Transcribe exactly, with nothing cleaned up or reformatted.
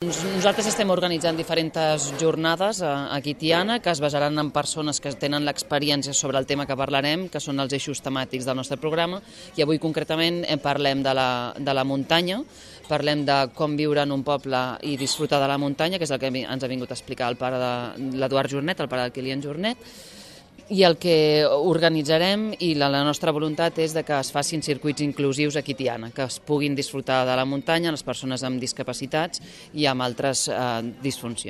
Nosaltres estem organitzant diferents jornades aquí a Tiana que es basaran en persones que tenen l'experiència sobre el tema que parlarem, que són els eixos temàtics del nostre programa, i avui concretament parlem de la, de la muntanya, parlem de com viure en un poble i disfrutar de la muntanya, que és el que ens ha vingut a explicar el pare de l'Eduard Jornet, el pare del Kilian Jornet, i el que organitzarem i la, la nostra voluntat és de que es facin circuits inclusius aquí a Tiana, que es puguin disfrutar de la muntanya les persones amb discapacitats i amb altres eh, disfuncions.